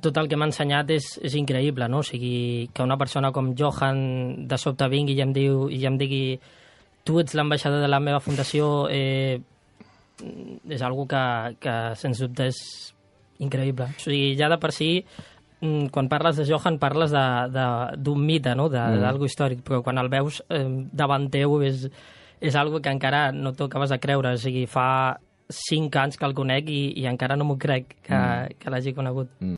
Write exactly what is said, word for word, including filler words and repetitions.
tot el que m'ha ensenyat és, és increïble, no? O sigui, que una persona com Johan de sobte vingui i em, diu, i em digui tu ets l'ambaixador de la meva fundació, eh, és algo que, que sens dubte és increïble. O sigui, ja de per si, quan parles de Johan parles d'un mite, no? D'algo mm. històric, però quan el veus eh, davant teu és, és algo que encara no t'ho acabes de creure. O sigui, fa cinc anys que el conec i, i encara no m'ho crec que, mm. que l'hagi conegut. Mm.